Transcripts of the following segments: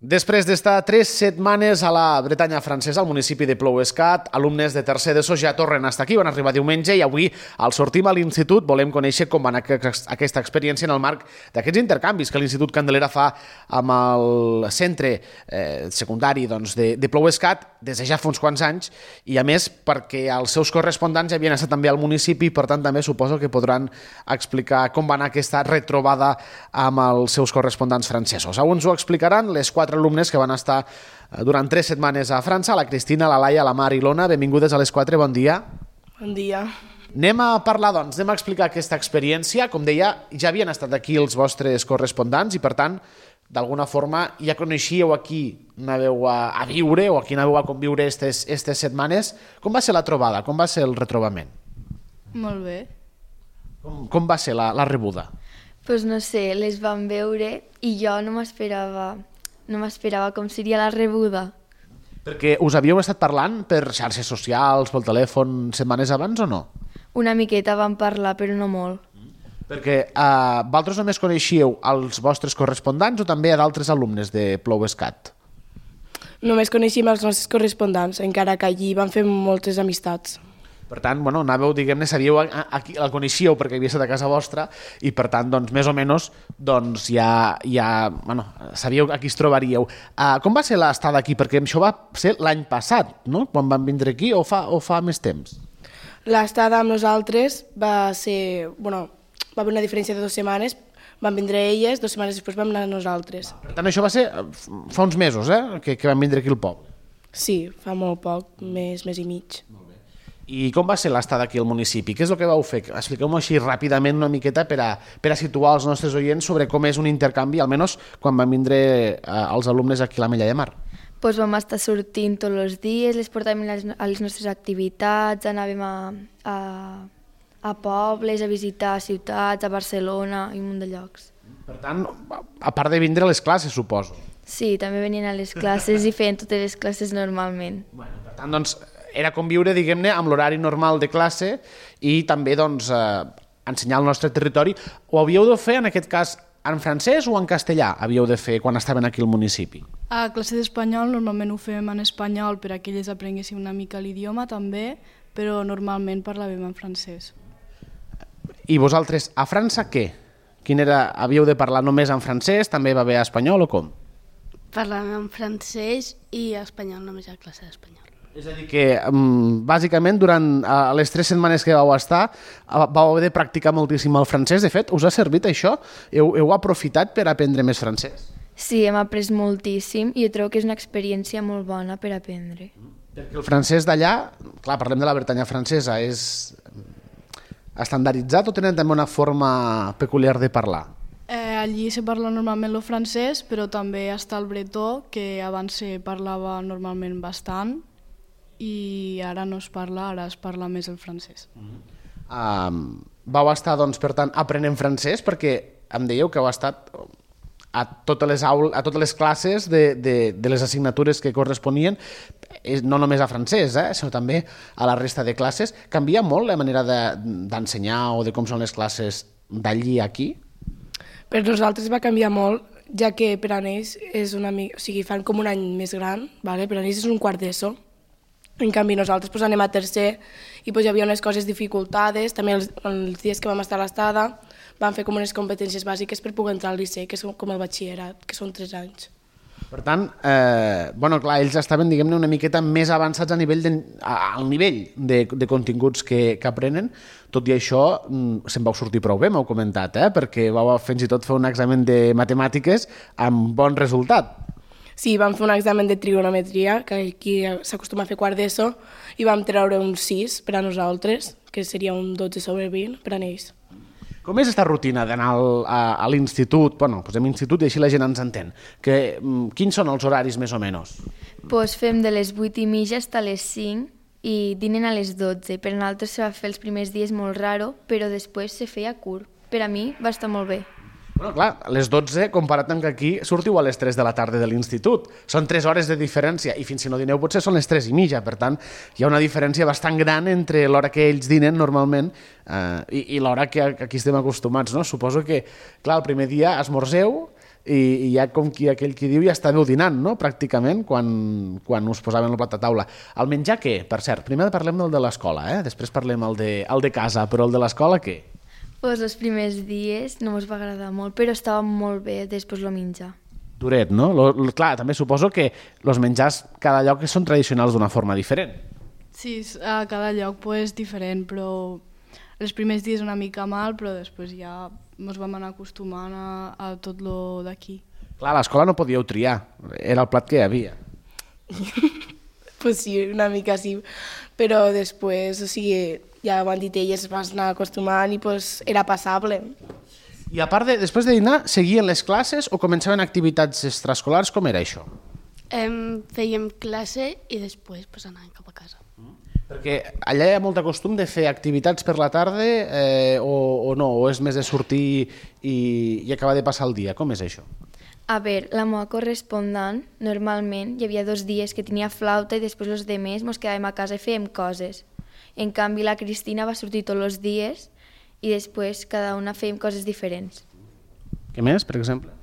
Després d'estar 3 setmanes a la Bretanya francesa, al municipi de Plouescat, alumnes de tercer d'ESO ja tornen a estar aquí, van arribar diumenge i avui, al sortim a l'institut, volem conèixer com va anar aquesta experiència en el marc d'aquests intercanvis que l'Institut Candelera fa amb el centre secundari de Plouescat des de ja fa uns quants anys i, a més, perquè els seus correspondents ja havien estat també al municipi i, per tant, també suposo que podran explicar com va anar aquesta retrobada amb els seus correspondents francesos. Avui ens ho explicaran les 4 alumnes que van estar durant 3 setmanes a França, la Cristina, la Laia, la Mar i l'Ona. Benvingudes a les 4, bon dia. Bon dia. Anem a parlar, doncs, anem a explicar aquesta experiència. Com deia, ja havien estat aquí els vostres correspondents i, per tant, d'alguna forma ja coneixíeu aquí, anàveu a viure o aquí anàveu a conviure aquestes setmanes. Com va ser la trobada? Com va ser el retrobament? Molt bé. Com va ser la rebuda? Pues no sé, les vam veure i jo no m'esperava com seria la rebuda. Perquè us havíeu estat parlant per xarxes socials, pel telèfon, setmanes abans o no? Una miqueta vam parlar, però no molt. Perquè vosaltres només coneixíeu els vostres correspondents o també a d'altres alumnes de Plouescat? Només coneixíem els nostres correspondents, encara que allí vam fer moltes amistats. Per tant, anàveu, diguem-ne, sabíeu, el coneixíeu perquè havia estat a casa vostra i, per tant, doncs, més o menys, doncs, ja sabíeu a qui es trobaríeu. Com va ser l'estada aquí? Perquè això va ser l'any passat, no?, quan van vindre aquí, o fa més temps? L'estada amb nosaltres va ser... va haver una diferència de 2 setmanes, van vindre elles, 2 setmanes després vam anar nosaltres. Per tant, això va ser fa uns mesos, que van vindre aquí al poble. Sí, fa molt poc, mes i mig. I com va ser l'estada aquí al municipi? Què és el que vau fer? Expliqueu-m'ho així ràpidament una miqueta per a situar els nostres oients sobre com és un intercanvi, almenys quan van vindre els alumnes aquí a l'Ametlla de Mar. Pues vam estar sortint tots els dies, les portàvem a les nostres activitats, anàvem a pobles, a visitar ciutats, a Barcelona i un munt de llocs. Per tant, a part de vindre a les classes, suposo. Sí, també venien a les classes i feien totes les classes normalment. Per tant, doncs, era conviure, diguem-ne, amb l'horari normal de classe i també, doncs, ensenyar el nostre territori. Ho havíeu de fer, en aquest cas, en francès o en castellà havíeu de fer quan estaven aquí al municipi? A classe d'espanyol normalment ho fem en espanyol per a que ells aprenguessin una mica l'idioma també, però normalment parlàvem en francès. I vosaltres, a França, què? Havíeu de parlar només en francès? També va bé a espanyol o com? Parlàvem en francès i espanyol només a classe d'espanyol. És a dir que, bàsicament, durant les 3 setmanes que vau estar, vau haver de practicar moltíssim el francès. De fet, us ha servit això? Heu aprofitat per aprendre més francès? Sí, hem après moltíssim i jo trobo que és una experiència molt bona per aprendre. Perquè el francès d'allà, clar, parlem de la Bretanya francesa, és estandarditzat o tenen també una forma peculiar de parlar? Allí se parla normalment el francès, però també està el bretó, que abans se parlava normalment bastant, i ara no es parla, ara es parla més el francès. Vau estar, doncs, per tant, aprenent francès, perquè em dèieu que heu estat a totes les classes de les assignatures que corresponien, no només a francès, sinó també a la resta de classes. Canvia molt la manera d'ensenyar o de com són les classes d'allí a aquí? Per nosaltres va canviar molt, ja que per a ells és una mica... O sigui, fan com un any més gran, per a ells és un quart d'ESO. En canvi, nosaltres anem a tercer i hi havia unes coses dificultades. També els dies que vam estar a l'estada vam fer com unes competències bàsiques per poder entrar al liceu, que és com el batxillerat, que són 3 anys. Per tant, clar, ells estaven, diguem-ne, una miqueta més avançats al nivell de continguts que aprenen. Tot i això, se'n vau sortir prou bé, m'heu comentat, perquè vau fins i tot fer un examen de matemàtiques amb bon resultat. Sí, vam fer un examen de trigonometria, que aquí s'acostuma a fer quart d'ESO, i vam treure un 6 per a nosaltres, que seria un 12/20 per a ells. Com és aquesta rutina d'anar a l'institut? Posem institut i així la gent ens entén. Quins són els horaris més o menys? Pues fem de les 8:30 fins a les 5 i dinen a les 12. Per nosaltres se va fer els primers dies molt raro, però després se feia curt. Per a mi va estar molt bé. Clar, a les 12, comparat amb que aquí sortiu a les 3 de la tarda de l'institut. Són 3 hores de diferència i fins si no dineu potser són les 3:30. Per tant, hi ha una diferència bastant gran entre l'hora que ells dinen normalment i l'hora que aquí estem acostumats. Suposo que, clar, el primer dia esmorzeu, i ja com aquell qui diu ja estàveu dinant, no?, pràcticament, quan us posaven el plat a taula. El menjar què? Per cert, primer parlem del de l'escola, després parlem el de casa, però el de l'escola què? Pues els primers dies no mos va agradar molt, però estava molt bé després el menjar. Duret, no? Clar, també suposo que els menjars cada lloc són tradicionals d'una forma diferent. Sí, a cada lloc és diferent, però els primers dies una mica mal, però després ja ens vam anar acostumant a tot lo d'aquí. Clar, a l'escola no podíeu triar, era el plat que hi havia. Pues sí, una mica sí, però després, o sigui, ja ho han dit elles, es van anar acostumant i pues, era passable. I a part després de dinar, seguien les classes o començaven activitats extraescolars? Com era això? Fèiem classe i després pues, anàvem cap a casa. Perquè allà hi ha molt de costum de fer activitats per la tarda o no? O és més de sortir i acabar de passar el dia? Com és això? A veure, la meva correspondent, normalment hi havia 2 dies que tenia flauta i després els demés mos quedàvem a casa i fèiem coses. En canvi, la Cristina va sortir tots els dies i després cada una fèiem coses diferents. Què més, per exemple?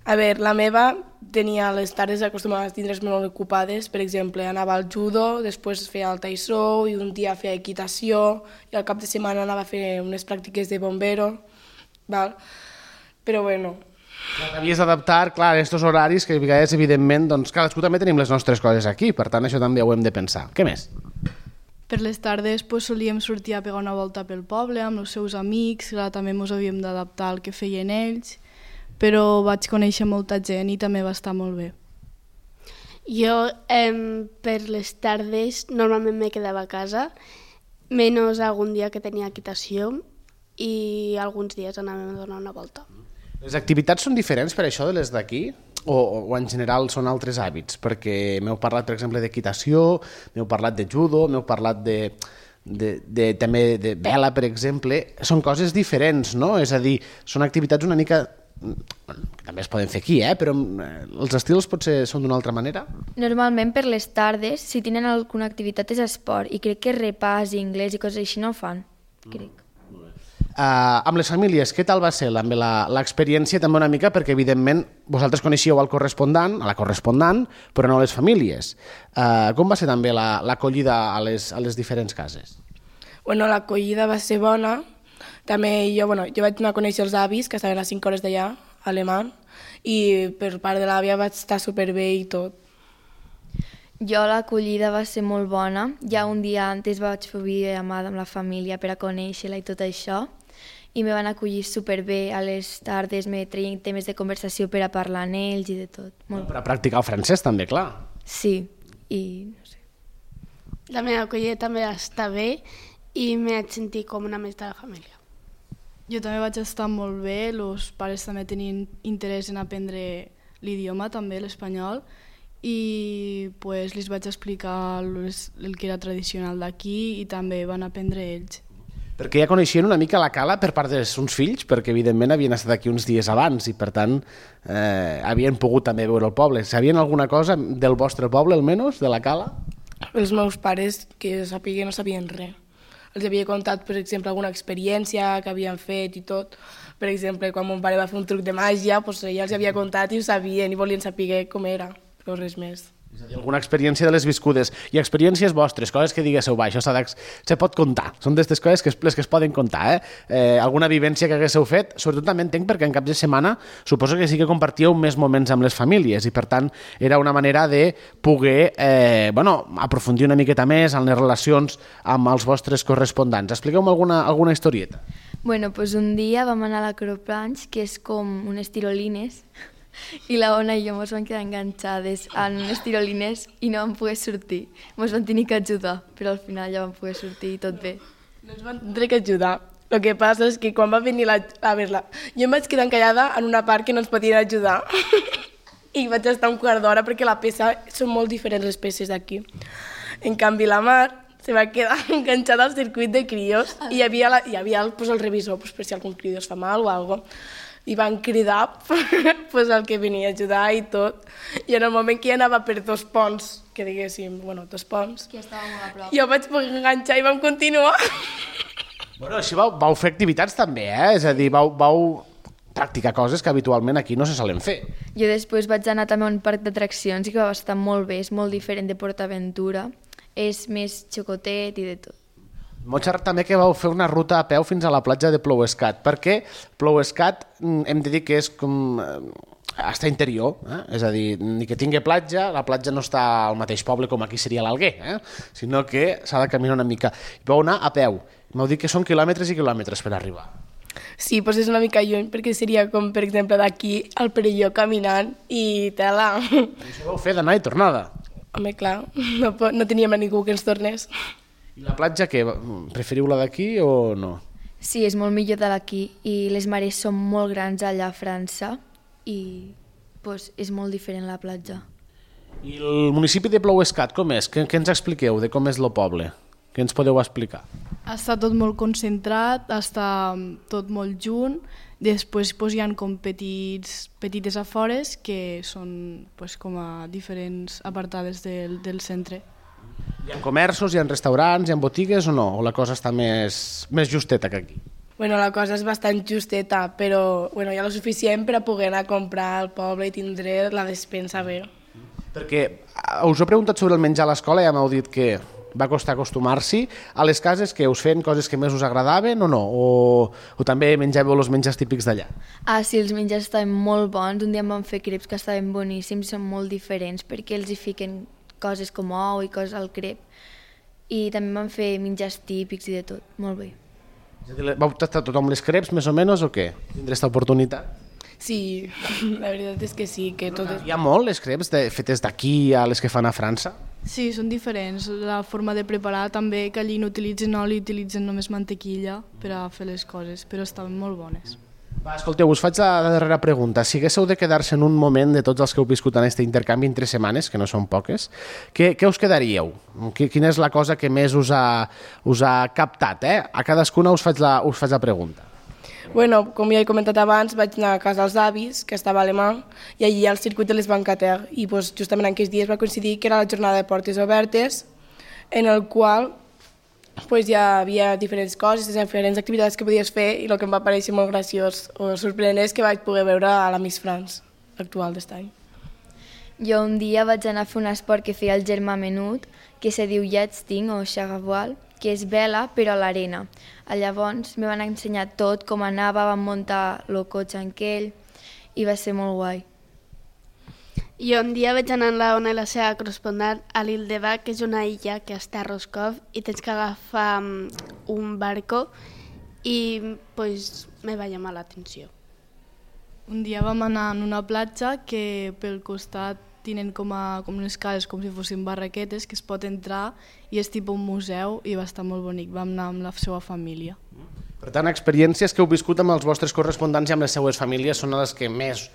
A veure, la meva tenia les tardes acostumades a tindre's molt ocupades, per exemple, anava al judo, després feia el taissó i un dia feia equitació i al cap de setmana anava a fer unes pràctiques de bombero, val? Però bueno... Havies d'adaptar, clar, a aquests horaris que a vegades, evidentment, doncs cadascú també tenim les nostres coses aquí, per tant això també ho hem de pensar. Què més? Per les tardes solíem sortir a pegar una volta pel poble amb els seus amics, clar, també ens havíem d'adaptar al que feien ells, però vaig conèixer molta gent i també va estar molt bé. Jo per les tardes normalment me quedava a casa, menys algun dia que tenia equitació i alguns dies anàvem a donar una volta. Les activitats són diferents per això de les d'aquí? O en general són altres hàbits? Perquè m'heu parlat, per exemple, d'equitació, m'heu parlat de judo, m'heu parlat també de vela, per exemple. Són coses diferents, no? És a dir, són activitats una mica... que també es poden fer aquí, però els estils potser són d'una altra manera? Normalment per les tardes, si tenen alguna activitat és esport i crec que repàs i anglès i coses així no ho fan, crec. Amb les famílies, què tal va ser l'experiència també una mica? Perquè evidentment vosaltres coneixíeu el correspondent, a la correspondent, però no les famílies. Com va ser també l'acollida a les diferents cases? Bueno, l'acollida va ser bona. També jo vaig anar a conèixer els avis, que estaven a 5 hores d'allà, a alemany, i per part de l'àvia vaig estar superbé i tot. Jo l'acollida va ser molt bona. Ja un dia antes vaig fer videollamada amb la família per a conèixer-la i tot això, i me van acollir superbé. A les tardes me treien temes de conversació per a parlar amb ells i de tot. Molt. Per a practicar el francès també, clar. Sí, i no sé. La meva acollida també està bé i m'he sentit com una més de la família. Jo també vaig estar molt bé, els pares també tenien interès en aprendre l'idioma, també l'espanyol, i pues, li vaig explicar el que era tradicional d'aquí i també van aprendre ells. Perquè ja coneixien una mica la Cala per part dels seus fills, perquè evidentment havien estat aquí uns dies abans i per tant havien pogut també veure el poble. Sabien alguna cosa del vostre poble, almenys, de la Cala? Els meus pares, que sapiguen, no sabien res. Els havia contat, per exemple, alguna experiència que havien fet i tot. Per exemple, quan mon pare va fer un truc de màgia, doncs ella els havia contat i ho sabien i volien saber com era, però res més. És a dir, alguna experiència de les viscudes i experiències vostres, coses que diguéssiu, això se pot contar, són d'aquestes coses les que es poden contar, alguna vivència que haguéssiu fet, sobretot també entenc perquè en cap de setmana suposo que sí que compartíeu més moments amb les famílies i per tant era una manera de poder aprofundir una miqueta més en les relacions amb els vostres correspondents. Expliqueu-me alguna historieta. Bueno, pues un dia vam anar a l'acroplanx, que és com unes tirolines, i la Ona i jo ens vam quedar enganxades en unes tirolines i no vam poder sortir. Ens van tenir que ajudar, però al final ja vam poder sortir i tot bé. No ens van tenir que ajudar. El que passa és que quan va venir a veure-la, jo em vaig quedar encallada en una part que no ens podien ajudar. I vaig estar un quart d'hora perquè la peça són molt diferents les peces d'aquí. En canvi, la Mar se va quedar enganxada al circuit de crios i hi havia el revisor per si algun crido es fa mal o alguna cosa. I van cridar el que venia a ajudar i tot. I en el moment que ja anava per 2 ponts, que diguéssim, 2 ponts, que estava molt a prop, jo vaig poder enganxar i vam continuar. Bueno, així vau fer activitats també, És a dir, vau practicar coses que habitualment aquí no se solen fer. Jo després vaig anar també a un parc d'atraccions i que va estar molt bé, és molt diferent de PortAventura, és més xocotet i de tot. M'ho xerrat també que vau fer una ruta a peu fins a la platja de Plouescat, perquè Plouescat hem de dir que és com està interior, és a dir, ni que tingui platja, la platja no està al mateix poble com aquí seria l'Alguer, sinó que s'ha de caminar una mica. Vau anar a peu, m'heu dit que són quilòmetres i quilòmetres per arribar. Sí, doncs és una mica lluny, perquè seria com, per exemple, d'aquí al Perelló caminant i tela. Això vau fer d'anar i tornada. Home, clar, no teníem a ningú que ens tornés. I la platja, què? Preferiu la d'aquí o no? Sí, és molt millor de d'aquí i les mares són molt grans allà a França i pues, és molt diferent la platja. I el municipi de Plouescat, com és? Què ens expliqueu de com és el poble? Què ens podeu explicar? Està tot molt concentrat, està tot molt junt, després hi ha com petites afores que són com a diferents apartades del centre. Hi ha comerços, hi ha restaurants, hi ha botigues o no? O la cosa està més justeta que aquí? Bueno, la cosa és bastant justeta, però hi ha el suficient per a poder anar a comprar al poble i tindre la despensa bé. Perquè us he preguntat sobre el menjar a l'escola i ja m'heu dit que va costar acostumar-s'hi. A les cases que us feien coses que més us agradaven o no? O també menjàveu els menjars típics d'allà? Ah, sí, els menjars estaven molt bons. Un dia em van fer creps que estaven boníssims, són molt diferents perquè els hi fiquen coses com ou i coses al crep. I també em van fer menjars típics i de tot, molt bé. Vau tastar tothom les creps, més o menys, o què? Tindré aquesta oportunitat? Sí, la veritat és que sí. Que tot... Hi ha molt les creps fetes d'aquí a les que fan a França? Sí, són diferents. La forma de preparar també, que allí no utilitzen oli, utilitzen només mantequilla per a fer les coses, però estaven molt bones. Va, escolteu, us faig la darrera pregunta. Si haguéssiu de quedar-se en un moment de tots els que heu viscut en aquest intercanvi en 3 setmanes, que no són poques, què us quedaríeu? Quina és la cosa que més us ha captat? A cadascuna us faig la pregunta. Bueno, com ja he comentat abans, vaig anar a casa dels avis, que estava a Alemany, i allí al circuit de les Bancater, i justament en aquells dies va coincidir que era la jornada de portes obertes, en el qual hi havia diferents coses, diferents activitats que podies fer, i el que em va parèixer molt graciós o sorprenent és que vaig poder veure a la Miss France actual d'est any. Jo un dia vaig anar a fer un esport que feia el germà menut, que se diu yachting o xagavoal, que és vela però a l'arena. Llavors me van ensenyar tot, com anava, vam muntar el cotxe en aquell i va ser molt guai. Jo un dia vaig anar amb la Ona i la seva correspondent a l'Île de Bac, que és una illa que està a Roscoff i tens que agafar un barco i me va llamar l'atenció. Un dia vam anar en una platja que pel costat tenen com unes cases com si fossin barraquetes que es pot entrar i és tipus un museu i va estar molt bonic. Vam anar amb la seva família. Per tant, experiències que heu viscut amb els vostres correspondents i amb les seues famílies són les que més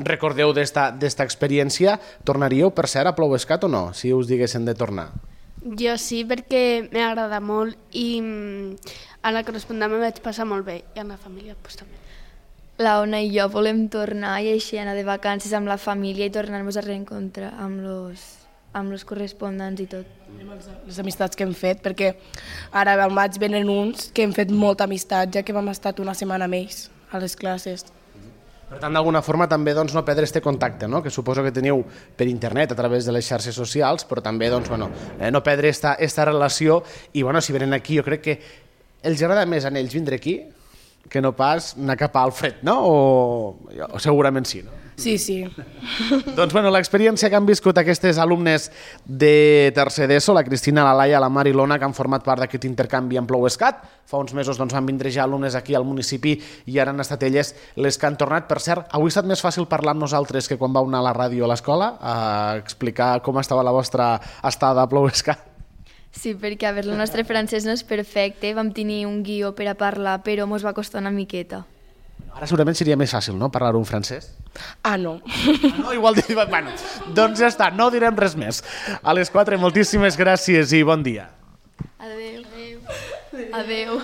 recordeu d'esta experiència. Tornaríeu, per cert, a Plouescat o no, si us diguessin de tornar? Jo sí, perquè m'agrada molt i a la correspondent me vaig passar molt bé i a la família també. La Ona i jo volem tornar i així anar de vacances amb la família i tornar-nos a reencontrar amb els correspondents i tot. Les amistats que hem fet, perquè ara al maig venen uns que hem fet molta amistat, ja que vam estar una setmana amb ells a les classes. Per tant, d'alguna forma també no perdre aquest contacte, no? Que suposo que teniu per internet, a través de les xarxes socials, però també no perdre aquesta relació i si venen aquí jo crec que els agrada més a ells vindre aquí que no pas anar cap a Alfred, no? O segurament sí, no? Sí. Doncs l'experiència que han viscut aquestes alumnes de tercer d'ESO, la Cristina, la Laia, la Mar i l'Ona, que han format part d'aquest intercanvi en Plouescat. Fa uns mesos van vindre ja alumnes aquí al municipi i ara han estat elles les que han tornat. Per cert, avui ha estat més fàcil parlar amb nosaltres que quan vau anar a la ràdio a l'escola a explicar com estava la vostra estada a Plouescat. Sí, perquè el nostre francès no és perfecte, vam tenir un guió per a parlar, però ens va costar una miqueta. Ara segurament seria més fàcil, no?, parlar un francès. Ah, no. No, igual... Bueno, doncs ja està, no direm res més. A les 4, moltíssimes gràcies i bon dia. Adéu. Adéu.